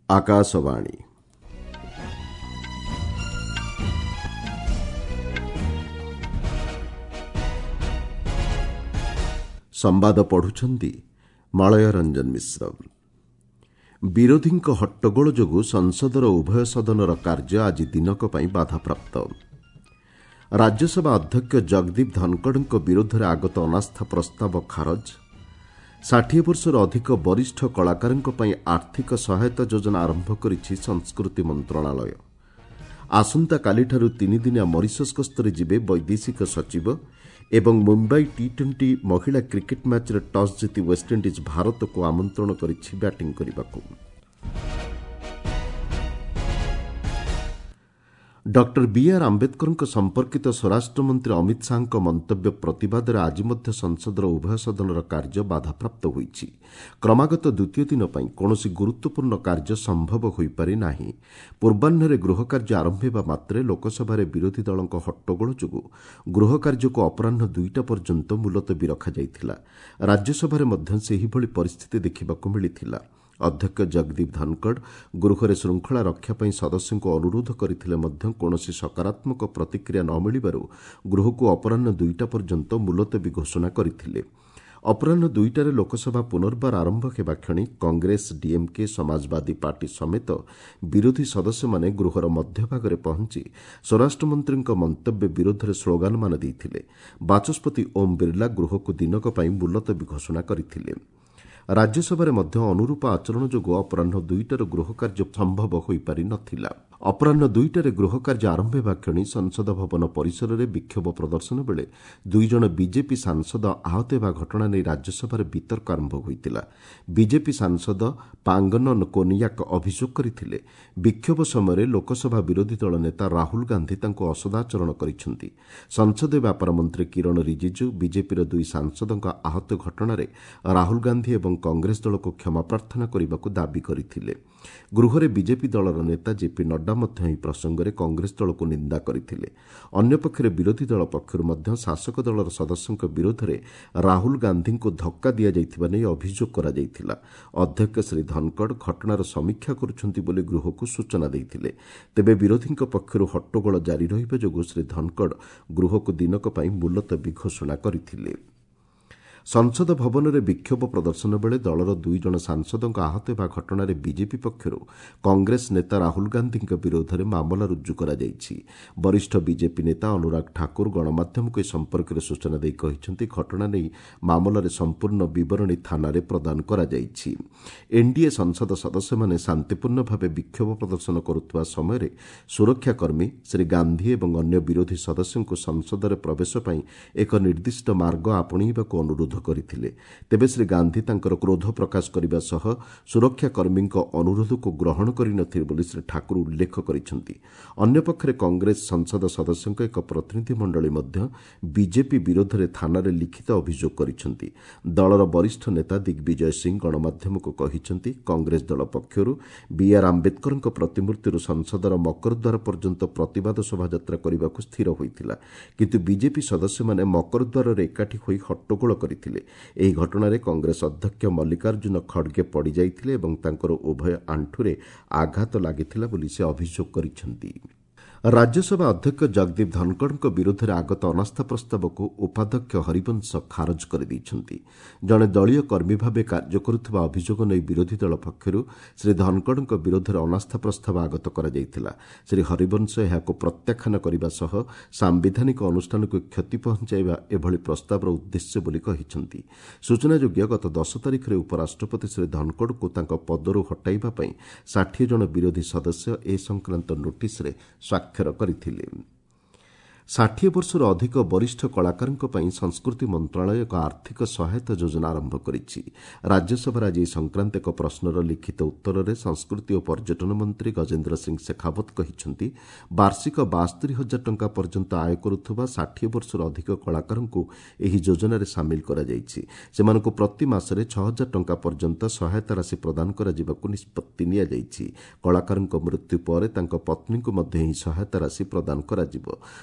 ଆକାଶବାଣୀ। ସମ୍ବାଦ ପଢୁଛନ୍ତି ମଳୟ ରଞ୍ଜନ ମିଶ୍ର। ବିରୋଧୀଙ୍କ ହଟ୍ଟଗୋଳ ଯୋଗୁଁ ସଂସଦର ଉଭୟ ସଦନର କାର୍ଯ୍ୟ ଆଜି ଦିନକ ପାଇଁ ବାଧାପ୍ରାପ୍ତ। ରାଜ୍ୟସଭା ଅଧ୍ୟକ୍ଷ ଜଗଦୀପ ଧନଖଡ଼ଙ୍କ ବିରୋଧରେ ଆଗତ ଅନାସ୍ଥା ପ୍ରସ୍ତାବ ଖାରଜ। 60 ବର୍ଷରୁ ଅଧିକ ବରିଷ୍ଠ କଳାକାରଙ୍କ ପାଇଁ ଆର୍ଥିକ ସହାୟତା ଯୋଜନା ଆରମ୍ଭ କରିଛି ସଂସ୍କୃତି ମନ୍ତ୍ରଣାଳୟ। ଆସନ୍ତାକାଲିଠାରୁ ତିନିଦିନିଆ ମରିସସ୍ ଗସ୍ତରେ ଯିବେ ବୈଦେଶିକ ସଚିବ ଏବଂ ମୁମ୍ବାଇ ଟି-20 ମହିଳା କ୍ରିକେଟ୍ ମ୍ୟାଚ୍ରେ ଟସ୍ ଜିତି ୱେଷ୍ଟଇଣ୍ଡିଜ୍ ଭାରତକୁ ଆମନ୍ତ୍ରଣ କରିଛି ବ୍ୟାଟିଂ କରିବାକୁ। ଡକ୍ଟର ବିଆର୍ ଆମ୍ବେଦକରଙ୍କ ସମ୍ପର୍କିତ ସ୍ୱରାଷ୍ଟ୍ରମନ୍ତ୍ରୀ ଅମିତ ଶାହାଙ୍କ ମନ୍ତବ୍ୟ ପ୍ରତିବାଦରେ ଆଜି ମଧ୍ୟ ସଂସଦର ଉଭୟ ସଦନର କାର୍ଯ୍ୟ ବାଧାପ୍ରାପ୍ତ ହୋଇଛି। କ୍ରମାଗତ ଦ୍ୱିତୀୟ ଦିନ ପାଇଁ କୌଣସି ଗୁରୁତ୍ୱପୂର୍ଣ୍ଣ କାର୍ଯ୍ୟ ସମ୍ଭବ ହୋଇପାରି ନାହିଁ। ପୂର୍ବାହ୍ନରେ ଗୃହ କାର୍ଯ୍ୟ ଆରମ୍ଭ ହେବା ମାତ୍ରେ ଲୋକସଭାରେ ବିରୋଧୀ ଦଳଙ୍କ ହଟ୍ଟଗୋଳ ଯୋଗୁଁ ଗୃହ କାର୍ଯ୍ୟକୁ ଅପରାହ୍ନ 2ଟା ପର୍ଯ୍ୟନ୍ତ ମୁଲତବୀ ରଖାଯାଇଥିଲା। ରାଜ୍ୟସଭାରେ ମଧ୍ୟ ସେହିଭଳି ପରିସ୍ଥିତି ଦେଖିବାକୁ ମିଳିଥିଲା। ଅଧ୍ୟକ୍ଷ ଜଗଦୀପ ଧନଖଡ଼ ଗୃହରେ ଶୃଙ୍ଖଳା ରକ୍ଷା ପାଇଁ ସଦସ୍ୟଙ୍କୁ ଅନୁରୋଧ କରିଥିଲେ ମଧ୍ୟ କୌଣସି ସକାରାତ୍ମକ ପ୍ରତିକ୍ରିୟା ନ ମିଳିବାରୁ ଗୃହକୁ ଅପରାହ୍ନ 2ଟା ପର୍ଯ୍ୟନ୍ତ ମୁଲତବୀ ଘୋଷଣା କରିଥିଲେ। ଅପରାହ୍ନ 2ଟାରେ ଲୋକସଭା ପୁନର୍ବାର ଆରମ୍ଭ ହେବା କ୍ଷଣି କଂଗ୍ରେସ, ଡିଏମ୍କେ, ସମାଜବାଦୀ ପାର୍ଟି ସମେତ ବିରୋଧୀ ସଦସ୍ୟମାନେ ଗୃହର ମଧ୍ୟଭାଗରେ ପହଞ୍ଚି ସ୍ୱରାଷ୍ଟ୍ରମନ୍ତ୍ରୀଙ୍କ ମନ୍ତବ୍ୟ ବିରୋଧରେ ସ୍ଲୋଗାନମାନ ଦେଇଥିଲେ। ବାଚସ୍ପତି ଓମ୍ ବିର୍ଲା ଗୃହକୁ ଦିନକ ପାଇଁ ମୁଲତବୀ ଘୋଷଣା କରିଥିଲେ। ରାଜ୍ୟସଭାରେ ମଧ୍ୟ ଅନୁରୂପ ଆଚରଣ ଯୋଗୁଁ ଅପରାହ୍ନ 2ଟାରୁ ଗୃହ କାର୍ଯ୍ୟ ସମ୍ଭବ ହୋଇପାରି ନ ଥିଲା। ଅପରାହ୍ନ 2ଟାରେ ଗୃହ କାର୍ଯ୍ୟ ଆରମ୍ଭ ହେବା କ୍ଷଣି ସଂସଦ ଭବନ ପରିସରରେ ବିକ୍ଷୋଭ ପ୍ରଦର୍ଶନ ବେଳେ ଦୁଇଜଣ ବିଜେପି ସାଂସଦ ଆହତ ହେବା ଘଟଣା ନେଇ ରାଜ୍ୟସଭାରେ ବିତର୍କ ଆରମ୍ଭ ହୋଇଥିଲା। ବିଜେପି ସାଂସଦ ପାଙ୍ଗନନ କୋନିୟାକ ଅଭିଯୋଗ କରିଥିଲେ, ବିକ୍ଷୋଭ ସମୟରେ ଲୋକସଭା ବିରୋଧୀ ଦଳ ନେତା ରାହୁଲ ଗାନ୍ଧୀ ତାଙ୍କୁ ଅସଦାଚରଣ କରିଛନ୍ତି। ସଂସଦୀୟ ବ୍ୟାପାର ମନ୍ତ୍ରୀ କିରଣ ରିଜିଜୁ ବିଜେପିର ଦୁଇ ସାଂସଦଙ୍କ ଆହତ ଘଟଣାରେ ରାହୁଲ ଗାନ୍ଧୀ ଏବଂ କଂଗ୍ରେସ ଦଳକୁ କ୍ଷମା ପ୍ରାର୍ଥନା କରିବାକୁ ଦାବି କରିଥିଲେ। ଗୃହରେ ବିଜେପି ଦଳର ନେତା ଜେପି ନଡ୍ଡା ମଧ୍ୟ ଏହି ପ୍ରସଙ୍ଗରେ କଂଗ୍ରେସ ଦଳକୁ ନିନ୍ଦା କରିଥିଲେ। ଅନ୍ୟପକ୍ଷରେ ବିରୋଧୀ ଦଳ ପକ୍ଷରୁ ମଧ୍ୟ ଶାସକ ଦଳର ସଦସ୍ୟଙ୍କ ବିରୋଧରେ ରାହୁଲ ଗାନ୍ଧୀଙ୍କୁ ଧକ୍କା ଦିଆଯାଇଥିବା ନେଇ ଅଭିଯୋଗ କରାଯାଇଥିଲା। ଅଧ୍ୟକ୍ଷ ଶ୍ରୀ ଧନଖଡ଼ ଘଟଣାର ସମୀକ୍ଷା କରୁଛନ୍ତି ବୋଲି ଗୃହକୁ ସୂଚନା ଦେଇଥିଲେ। ତେବେ ବିରୋଧୀଙ୍କ ପକ୍ଷରୁ ହଟ୍ଟଗୋଳ ଜାରି ରହିବା ଯୋଗୁଁ ଶ୍ରୀ ଧନଖଡ଼ ଗୃହକୁ ଦିନକ ପାଇଁ ମୁଲତବୀ ଘୋଷଣା କରିଥିଲେ। ସଂସଦ ଭବନରେ ବିକ୍ଷୋଭ ପ୍ରଦର୍ଶନ ବେଳେ ଦଳର ଦୁଇଜଣ ସାଂସଦଙ୍କ ଆହତ ହେବା ଘଟଣାରେ ବିଜେପି ପକ୍ଷରୁ କଂଗ୍ରେସ ନେତା ରାହୁଲ ଗାନ୍ଧୀଙ୍କ ବିରୋଧରେ ମାମଲା ରୁଜୁ କରାଯାଇଛି। ବରିଷ୍ଠ ବିଜେପି ନେତା ଅନୁରାଗ ଠାକୁର ଗଣମାଧ୍ୟମକୁ ଏ ସମ୍ପର୍କରେ ସୂଚନା ଦେଇ କହିଛନ୍ତି, ଘଟଣା ନେଇ ମାମଲାରେ ସମ୍ପୂର୍ଣ୍ଣ ବିବରଣୀ ଥାନାରେ ପ୍ରଦାନ କରାଯାଇଛି। ଏନ୍ଡିଏ ସଂସଦ ସଦସ୍ୟମାନେ ଶାନ୍ତିପୂର୍ଣ୍ଣ ଭାବେ ବିକ୍ଷୋଭ ପ୍ରଦର୍ଶନ କରୁଥିବା ସମୟରେ ସୁରକ୍ଷାକର୍ମୀ ଶ୍ରୀ ଗାନ୍ଧୀ ଏବଂ ଅନ୍ୟ ବିରୋଧୀ ସଦସ୍ୟଙ୍କୁ ସଂସଦରେ ପ୍ରବେଶ ପାଇଁ ଏକ ନିର୍ଦ୍ଦିଷ୍ଟ ମାର୍ଗ ଆପଣେଇବାକୁ ଅନୁରୋଧ କରିଥିଲେ। ତେବେ ଶ୍ରୀ ଗାନ୍ଧୀ ତାଙ୍କର କ୍ରୋଧ ପ୍ରକାଶ କରିବା ସହ ସୁରକ୍ଷାକର୍ମୀଙ୍କ ଅନୁରୋଧକୁ ଗ୍ରହଣ କରିନଥିଲେ ବୋଲି ଶ୍ରୀ ଠାକୁର ଉଲ୍ଲେଖ କରିଛନ୍ତି। ଅନ୍ୟପକ୍ଷରେ କଂଗ୍ରେସ ସଂସଦ ସଦସ୍ୟଙ୍କ ଏକ ପ୍ରତିନିଧି ମଣ୍ଡଳୀ ମଧ୍ୟ ବିଜେପି ବିରୋଧରେ ଥାନାରେ ଲିଖିତ ଅଭିଯୋଗ କରିଛନ୍ତି। ଦଳର ବରିଷ୍ଠ ନେତା ଦିଗ୍ବିଜୟ ସିଂ ଗଣମାଧ୍ୟମକୁ କହିଛନ୍ତି, କଂଗ୍ରେସ ଦଳ ପକ୍ଷରୁ ବିଆର୍ ଆମ୍ବେଦକରଙ୍କ ପ୍ରତିମୂର୍ତ୍ତିରୁ ସଂସଦର ମକରଦ୍ୱାର ପର୍ଯ୍ୟନ୍ତ ପ୍ରତିବାଦ ଶୋଭାଯାତ୍ରା କରିବାକୁ ସ୍ଥିର ହୋଇଥିଲା। କିନ୍ତୁ ବିଜେପି ସଦସ୍ୟମାନେ ମକରଦ୍ୱାରରେ ଏକାଠି ହୋଇ ହଟ୍ଟଗୋଳ କରିଥିଲେ। ଏହି ଘଟଣାରେ କଂଗ୍ରେସ ଅଧ୍ୟକ୍ଷ ମଲ୍ଲିକାର୍ଜୁନ ଖଡ଼ଗେ ପଡ଼ିଯାଇଥିଲେ ଏବଂ ତାଙ୍କର ଉଭୟ ଆଣ୍ଠୁରେ ଆଘାତ ଲାଗିଥିଲା ବୋଲି ସେ ଅଭିଯୋଗ କରିଛନ୍ତି। ରାଜ୍ୟସଭା ଅଧ୍ୟକ୍ଷ ଜଗଦୀପ ଧନଖଡ଼ଙ୍କ ବିରୋଧରେ ଆଗତ ଅନାସ୍ଥା ପ୍ରସ୍ତାବକୁ ଉପାଧ୍ୟକ୍ଷ ହରିବଂଶ ଖାରଜ କରିଦେଇଛନ୍ତି। ଜଣେ ଦଳୀୟ କର୍ମୀ ଭାବେ କାର୍ଯ୍ୟ କରୁଥିବା ଅଭିଯୋଗ ନେଇ ବିରୋଧୀ ଦଳ ପକ୍ଷରୁ ଶ୍ରୀ ଧନଖଡ଼ଙ୍କ ବିରୋଧରେ ଅନାସ୍ଥା ପ୍ରସ୍ତାବ ଆଗତ କରାଯାଇଥିଲା। ଶ୍ରୀ ହରିବଂଶ ଏହାକୁ ପ୍ରତ୍ୟାଖ୍ୟାନ କରିବା ସହ ସାମ୍ବିଧାନିକ ଅନୁଷ୍ଠାନକୁ କ୍ଷତି ପହଞ୍ଚାଇବା ଏଭଳି ପ୍ରସ୍ତାବର ଉଦ୍ଦେଶ୍ୟ ବୋଲି କହିଛନ୍ତି। ସୂଚନାଯୋଗ୍ୟ, ଗତ 10 ତାରିଖରେ ଉପରାଷ୍ଟ୍ରପତି ଶ୍ରୀ ଧନଖଡ଼ଙ୍କୁ ତାଙ୍କ ପଦରୁ ହଟାଇବା ପାଇଁ 60 ଜଣ ବିରୋଧୀ ସଦସ୍ୟ ଏ ସଂକ୍ରାନ୍ତ ନୋଟିସ୍ରେ ସ୍ୱାକ୍ଷର କରିଥିଲେ। 60 ବର୍ଷରୁ ଅଧିକ ବରିଷ୍ଠ କଳାକାରଙ୍କ ପାଇଁ ସଂସ୍କୃତି ମନ୍ତ୍ରଣାଳୟ ଏକ ଆର୍ଥିକ ସହାୟତା ଯୋଜନା ଆରମ୍ଭ କରିଛି। ରାଜ୍ୟସଭାରେ ଆଜି ଏ ସଂକ୍ରାନ୍ତ ଏକ ପ୍ରଶ୍ନର ଲିଖିତ ଉତ୍ତରରେ ସଂସ୍କୃତି ଓ ପର୍ଯ୍ୟଟନ ମନ୍ତ୍ରୀ ଗଜେନ୍ଦ୍ର ସିଂ ଶେଖାଓ୍ୱତ କହିଛନ୍ତି, ବାର୍ଷିକ 72,000 ଟଙ୍କା ପର୍ଯ୍ୟନ୍ତ ଆୟ କରୁଥିବା 60 ବର୍ଷରୁ ଅଧିକ କଳାକାରଙ୍କୁ ଏହି ଯୋଜନାରେ ସାମିଲ କରାଯାଇଛି। ସେମାନଙ୍କୁ ପ୍ରତି ମାସରେ 6,000 ଟଙ୍କା ପର୍ଯ୍ୟନ୍ତ ସହାୟତା ରାଶି ପ୍ରଦାନ କରାଯିବାକୁ ନିଷ୍ପତ୍ତି ନିଆଯାଇଛି। କଳାକାରଙ୍କ ମୃତ୍ୟୁ ପରେ ତାଙ୍କ ପତ୍ନୀଙ୍କୁ ମଧ୍ୟ ଏହି ସହାୟତା ରାଶି ପ୍ରଦାନ କରାଯିବ।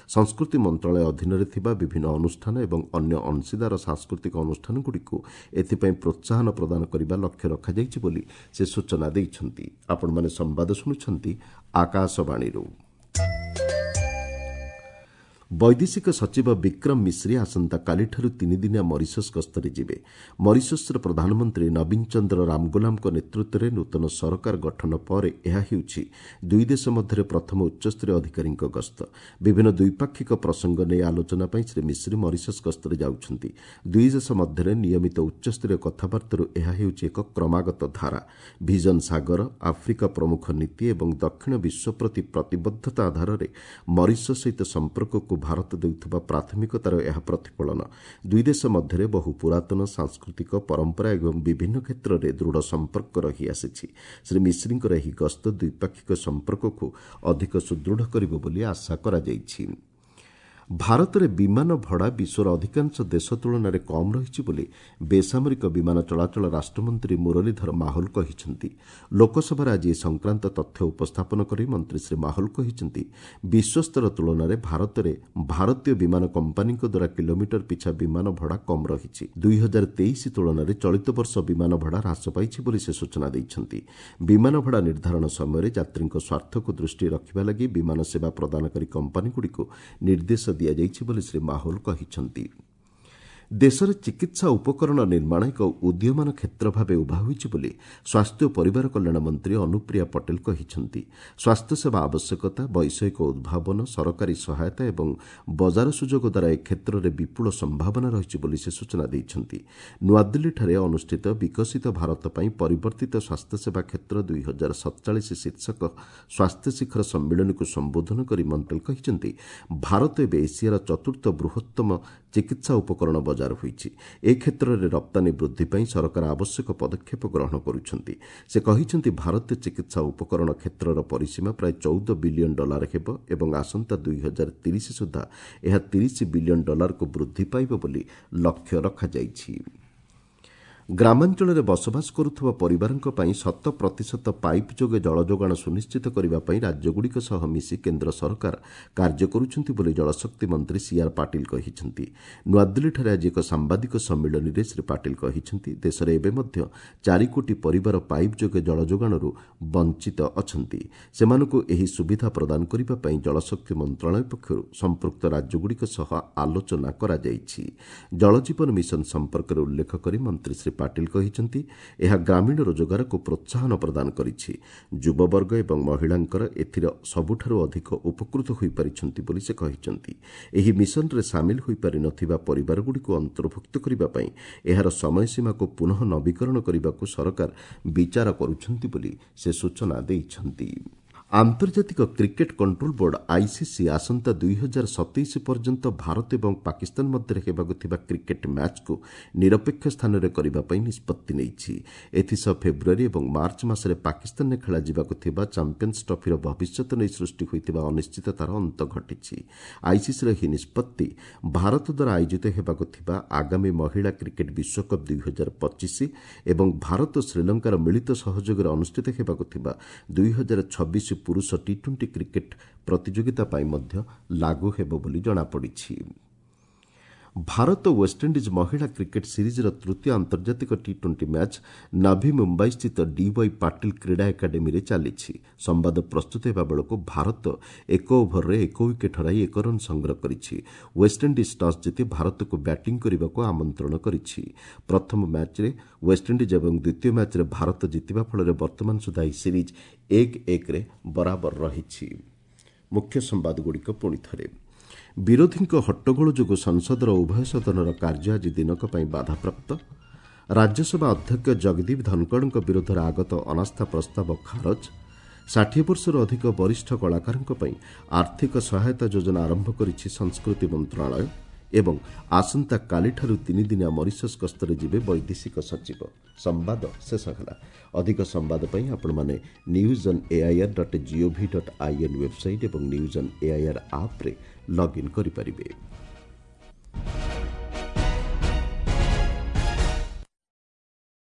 ସଂସ୍କୃତି ମନ୍ତ୍ରଣାଳୟ ଅଧୀନରେ ଥିବା ବିଭିନ୍ନ ଅନୁଷ୍ଠାନ ଏବଂ ଅନ୍ୟ ଅଂଶୀଦାର ସାଂସ୍କୃତିକ ଅନୁଷ୍ଠାନଗୁଡ଼ିକୁ ଏଥିପାଇଁ ପ୍ରୋତ୍ସାହନ ପ୍ରଦାନ କରିବା ଲକ୍ଷ୍ୟ ରଖାଯାଇଛି ବୋଲି ସେ ସୂଚନା ଦେଇଛନ୍ତି। ଆପଣମାନେ ସମ୍ବାଦ ଶୁଣୁଛନ୍ତି ଆକାଶବାଣୀରୁ। ବୈଦେଶିକ ସଚିବ ବିକ୍ରମ ମିଶ୍ରି ଆସନ୍ତାକାଲିଠାରୁ ତିନିଦିନିଆ ମରିସସ୍ ଗସ୍ତରେ ଯିବେ। ମରିସସ୍ର ପ୍ରଧାନମନ୍ତ୍ରୀ ନବୀନ ଚନ୍ଦ୍ର ରାମଗୋଲାମଙ୍କ ନେତୃତ୍ୱରେ ନୂତନ ସରକାର ଗଠନ ପରେ ଏହା ହେଉଛି ଦୁଇ ଦେଶ ମଧ୍ୟରେ ପ୍ରଥମ ଉଚ୍ଚସ୍ତରୀୟ ଅଧିକାରୀଙ୍କ ଗସ୍ତ। ବିଭିନ୍ନ ଦ୍ୱିପାକ୍ଷିକ ପ୍ରସଙ୍ଗ ନେଇ ଆଲୋଚନା ପାଇଁ ଶ୍ରୀ ମିଶ୍ରି ମରିସସ୍ ଗସ୍ତରେ ଯାଉଛନ୍ତି। ଦୁଇ ଦେଶ ମଧ୍ୟରେ ନିୟମିତ ଉଚ୍ଚସ୍ତରୀୟ କଥାବାର୍ତ୍ତାରୁ ଏହା ହେଉଛି ଏକ କ୍ରମାଗତ ଧାରା। ଭିଜନ ସାଗର, ଆଫ୍ରିକା ପ୍ରମୁଖ ନୀତି ଏବଂ ଦକ୍ଷିଣ ବିଶ୍ୱ ପ୍ରତି ପ୍ରତିବଦ୍ଧତା ଆଧାରରେ ମରିସସ୍ ସହିତ ସମ୍ପର୍କକୁ ଭାରତ ଦେଉଥିବା ପ୍ରାଥମିକତାର ଏହା ପ୍ରତିଫଳନ। ଦୁଇ ଦେଶ ମଧ୍ୟରେ ବହୁ ପୁରାତନ ସାଂସ୍କୃତିକ ପରମ୍ପରା ଏବଂ ବିଭିନ୍ନ କ୍ଷେତ୍ରରେ ଦୃଢ଼ ସମ୍ପର୍କ ରହିଆସିଛି। ଶ୍ରୀ ମିଶ୍ରିଙ୍କର ଏହି ଗସ୍ତ ଦ୍ୱିପାକ୍ଷିକ ସମ୍ପର୍କକୁ ଅଧିକ ସୁଦୃଢ଼ କରିବ ବୋଲି ଆଶା କରାଯାଇଛି। ଭାରତରେ ବିମାନ ଭଡ଼ା ବିଶ୍ୱର ଅଧିକାଂଶ ଦେଶ ତୁଳନାରେ କମ୍ ରହିଛି ବୋଲି ବେସାମରିକ ବିମାନ ଚଳାଚଳ ରାଷ୍ଟ୍ରମନ୍ତ୍ରୀ ମୁରଲୀଧର ମାହୋଲ କହିଛନ୍ତି। ଲୋକସଭାରେ ଆଜି ଏ ସଂକ୍ରାନ୍ତ ତଥ୍ୟ ଉପସ୍ଥାପନ କରି ମନ୍ତ୍ରୀ ଶ୍ରୀ ମାହୋଲ କହିଛନ୍ତି, ବିଶ୍ୱସ୍ତର ତୁଳନାରେ ଭାରତରେ ଭାରତୀୟ ବିମାନ କମ୍ପାନୀଙ୍କ ଦ୍ୱାରା କିଲୋମିଟର ପିଛା ବିମାନ ଭଡ଼ା କମ୍ ରହିଛି। 2023 ତୁଳନାରେ ଚଳିତ ବର୍ଷ ବିମାନ ଭଡ଼ା ହ୍ରାସ ପାଇଛି ବୋଲି ସେ ସୂଚନା ଦେଇଛନ୍ତି। ବିମାନ ଭଡ଼ା ନିର୍ଦ୍ଧାରଣ ସମୟରେ ଯାତ୍ରୀଙ୍କ ସ୍ୱାର୍ଥକୁ ଦୃଷ୍ଟିରେ ରଖିବା ଲାଗି ବିମାନ ସେବା ପ୍ରଦାନକାରୀ କମ୍ପାନୀଗୁଡ଼ିକୁ ନିର୍ଦ୍ଦେଶ ଦିଆଯାଇଛି ବୋଲି ଶ୍ରୀ ମାହୋଲ କହିଛନ୍ତି। ଦେଶରେ ଚିକିତ୍ସା ଉପକରଣ ନିର୍ମାଣ ଏକ ଉଦୀୟମାନ କ୍ଷେତ୍ର ଭାବେ ଉଭା ହୋଇଛି ବୋଲି ସ୍ୱାସ୍ଥ୍ୟ ଓ ପରିବାର କଲ୍ୟାଣ ମନ୍ତ୍ରୀ ଅନୁପ୍ରିୟା ପଟେଲ କହିଛନ୍ତି। ସ୍ୱାସ୍ଥ୍ୟସେବା ଆବଶ୍ୟକତା, ବୈଷୟିକ ଉଦ୍ଭାବନ, ସରକାରୀ ସହାୟତା ଏବଂ ବଜାର ସୁଯୋଗ ଦ୍ୱାରା ଏ କ୍ଷେତ୍ରରେ ବିପୁଳ ସମ୍ଭାବନା ରହିଛି ବୋଲି ସେ ସୂଚନା ଦେଇଛନ୍ତି। ନୂଆଦିଲ୍ଲୀଠାରେ ଅନୁଷ୍ଠିତ ବିକଶିତ ଭାରତ ପାଇଁ ପରିବର୍ତ୍ତିତ ସ୍ୱାସ୍ଥ୍ୟସେବା କ୍ଷେତ୍ର 2047 ଶୀର୍ଷକ ସ୍ୱାସ୍ଥ୍ୟ ଶିଖର ସମ୍ମିଳନୀକୁ ସମ୍ବୋଧନ କରି ମନ୍ତ୍ରୀ କହିଛନ୍ତି, ଭାରତ ଏବେ ଏସିଆର ଚତୁର୍ଥ ବୃହତ୍ତମ ଚିକିତ୍ସା ଉପକରଣ ବଜାର ହୋଇଛି। ଏ କ୍ଷେତ୍ରରେ ରପ୍ତାନୀ ବୃଦ୍ଧି ପାଇଁ ସରକାର ଆବଶ୍ୟକ ପଦକ୍ଷେପ ଗ୍ରହଣ କରୁଛନ୍ତି। ସେ କହିଛନ୍ତି, ଭାରତୀୟ ଚିକିତ୍ସା ଉପକରଣ କ୍ଷେତ୍ରର ପରିସୀମା ପ୍ରାୟ $14 ବିଲିୟନ ହେବ ଏବଂ ଆସନ୍ତା 2030 ସୁଦ୍ଧା ଏହା $30 ବିଲିୟନ ବୃଦ୍ଧି ପାଇବ ବୋଲି ଲକ୍ଷ୍ୟ ରଖାଯାଇଛି। ଗ୍ରାମାଞ୍ଚଳରେ ବସବାସ କରୁଥିବା ପରିବାରଙ୍କ ପାଇଁ 100% ପାଇପ୍ ଯୋଗେ ଜଳ ଯୋଗାଣ ସୁନିଶ୍ଚିତ କରିବା ପାଇଁ ରାଜ୍ୟଗୁଡ଼ିକ ସହ ମିଶି କେନ୍ଦ୍ର ସରକାର କାର୍ଯ୍ୟ କରୁଛନ୍ତି ବୋଲି ଜଳଶକ୍ତି ମନ୍ତ୍ରୀ ସିଆର୍ ପାଟିଲ କହିଛନ୍ତି। ନୂଆଦିଲ୍ଲୀଠାରେ ଆଜି ଏକ ସାମ୍ବାଦିକ ସମ୍ମିଳନୀରେ ଶ୍ରୀ ପାଟିଲ କହିଛନ୍ତି, ଦେଶରେ ଏବେ ମଧ୍ୟ 4 କୋଟି ପରିବାର ପାଇପ୍ ଯୋଗେ ଜଳ ଯୋଗାଣରୁ ବଞ୍ଚିତ ଅଛନ୍ତି। ସେମାନଙ୍କୁ ଏହି ସୁବିଧା ପ୍ରଦାନ କରିବା ପାଇଁ ଜଳଶକ୍ତି ମନ୍ତ୍ରଣାଳୟ ପକ୍ଷରୁ ସମ୍ପୃକ୍ତ ରାଜ୍ୟଗୁଡ଼ିକ ସହ ଆଲୋଚନା କରାଯାଇଛି। ଜଳଜୀବନ ମିଶନ ସମ୍ପର୍କରେ ଉଲ୍ଲେଖ କରି ମନ୍ତ୍ରୀ ଶ୍ରୀ ପାଟିଲ କହିଛନ୍ତି, ଏହା ଗ୍ରାମୀଣ ରୋଜଗାରକୁ ପ୍ରୋତ୍ସାହନ ପ୍ରଦାନ କରିଛି। ଯୁବବର୍ଗ ଏବଂ ମହିଳାଙ୍କର ଏଥିରେ ସବୁଠାରୁ ଅଧିକ ଉପକୃତ ହୋଇପାରିଛନ୍ତି ବୋଲି ସେ କହିଛନ୍ତି। ଏହି ମିଶନରେ ସାମିଲ ହୋଇପାରିନଥିବା ପରିବାରଗୁଡ଼ିକୁ ଅନ୍ତର୍ଭୁକ୍ତ କରିବା ପାଇଁ ଏହାର ସମୟସୀମାକୁ ପୁନଃ ନବୀକରଣ କରିବାକୁ ସରକାର ବିଚାର କରୁଛନ୍ତି ବୋଲି ସେ ସୂଚନା ଦେଇଛନ୍ତି। ଆନ୍ତର୍ଜାତିକ କ୍ରିକେଟ୍ କଣ୍ଟ୍ରୋଲ ବୋର୍ଡ ଆଇସିସି ଆସନ୍ତା 2027 ପର୍ଯ୍ୟନ୍ତ ଭାରତ ଏବଂ ପାକିସ୍ତାନ ମଧ୍ୟରେ ହେବାକୁ ଥିବା କ୍ରିକେଟ୍ ମ୍ୟାଚ୍କୁ ନିରପେକ୍ଷ ସ୍ଥାନରେ କରିବା ପାଇଁ ନିଷ୍ପତ୍ତି ନେଇଛି। ଏଥିସହ ଫେବୃଆରୀ ଏବଂ ମାର୍ଚ୍ଚ ମାସରେ ପାକିସ୍ତାନରେ ଖେଳାଯିବାକୁ ଥିବା ଚାମ୍ପିୟନ୍ସ ଟ୍ରଫିର ଭବିଷ୍ୟତ ନେଇ ସୃଷ୍ଟି ହୋଇଥିବା ଅନିଶ୍ଚିତତାର ଅନ୍ତ ଘଟିଛି। ଆଇସିସିର ଏହି ନିଷ୍ପତ୍ତି ଭାରତ ଦ୍ୱାରା ଆୟୋଜିତ ହେବାକୁ ଥିବା ଆଗାମୀ ମହିଳା କ୍ରିକେଟ୍ ବିଶ୍ୱକପ୍ 2025 ଏବଂ ଭାରତ ଶ୍ରୀଲଙ୍କାର ମିଳିତ ସହଯୋଗରେ ଅନୁଷ୍ଠିତ ହେବାକୁ ଥିବା 2026 ପୁରୁଷ ଟି-20 କ୍ରିକେଟ୍ ପ୍ରତିଯୋଗିତା ପାଇଁ ମଧ୍ୟ ଲାଗୁ ହେବ ବୋଲି ଜଣାପଡ଼ିଛି। ଭାରତ ୱେଷ୍ଟଇଣ୍ଡିଜ୍ ମହିଳା କ୍ରିକେଟ୍ ସିରିଜ୍ର ତୃତୀୟ ଆନ୍ତର୍ଜାତିକ ଟି-20 ମ୍ୟାଚ୍ ନଭି ମୁମ୍ବାଇସ୍ଥିତ ଡିୱାଇ ପାଟିଲ କ୍ରୀଡ଼ା ଏକାଡେମୀରେ ଚାଲିଛି। ସମ୍ବାଦ ପ୍ରସ୍ତୁତ ହେବା ବେଳକୁ ଭାରତ 1 ଓଭରରେ 1 ୱିକେଟ୍ ହରାଇ 1 ରନ୍ ସଂଗ୍ରହ କରିଛି। ୱେଷ୍ଟଇଣ୍ଡିଜ୍ ଟସ୍ ଜିତି ଭାରତକୁ ବ୍ୟାଟିଂ କରିବାକୁ ଆମନ୍ତ୍ରଣ କରିଛି। ପ୍ରଥମ ମ୍ୟାଚ୍ରେ ୱେଷ୍ଟଇଣ୍ଡିଜ୍ ଏବଂ ଦ୍ୱିତୀୟ ମ୍ୟାଚ୍ରେ ଭାରତ ଜିତିବା ଫଳରେ ବର୍ତ୍ତମାନ ସୁଦ୍ଧା ଏହି ସିରିଜ୍ 1-1ରେ ବରାବର ରହିଛି। ମୁଖ୍ୟ ସମ୍ବାଦଗୁଡ଼ିକ ପୁଣି ଥରେ। ବିରୋଧୀଙ୍କ ହଟ୍ଟଗୋଳ ଯୋଗୁଁ ସଂସଦର ଉଭୟ ସଦନର କାର୍ଯ୍ୟ ଆଜି ଦିନକ ପାଇଁ ବାଧାପ୍ରାପ୍ତ। ରାଜ୍ୟସଭା ଅଧ୍ୟକ୍ଷ ଜଗଦୀପ ଧନଖଡ଼ଙ୍କ ବିରୋଧରେ ଆଗତ ଅନାସ୍ଥା ପ୍ରସ୍ତାବ ଖାରଜ। 60 ବର୍ଷରୁ ଅଧିକ ବରିଷ୍ଠ କଳାକାରଙ୍କ ପାଇଁ ଆର୍ଥିକ ସହାୟତା ଯୋଜନା ଆରମ୍ଭ କରିଛି ସଂସ୍କୃତି ମନ୍ତ୍ରଣାଳୟ। ଏବଂ ଆସନ୍ତାକାଲିଠାରୁ ତିନିଦିନିଆ ମରିସସ୍ ଗସ୍ତରେ ଯିବେ ବୈଦେଶିକ ସଚିବ। ସମ୍ବାଦ ଶେଷ ହେଲା। ଅଧିକ ସମ୍ବାଦ ପାଇଁ ଆପଣମାନେ news on AIR dot GOV dot IN website ଏବଂ ନ୍ୟୁଜ୍ ଅନ୍ ଏଆଇଆର୍ ଆପ୍ରେ ଲଗ୍ଇନ୍ କରିପାରିବେ।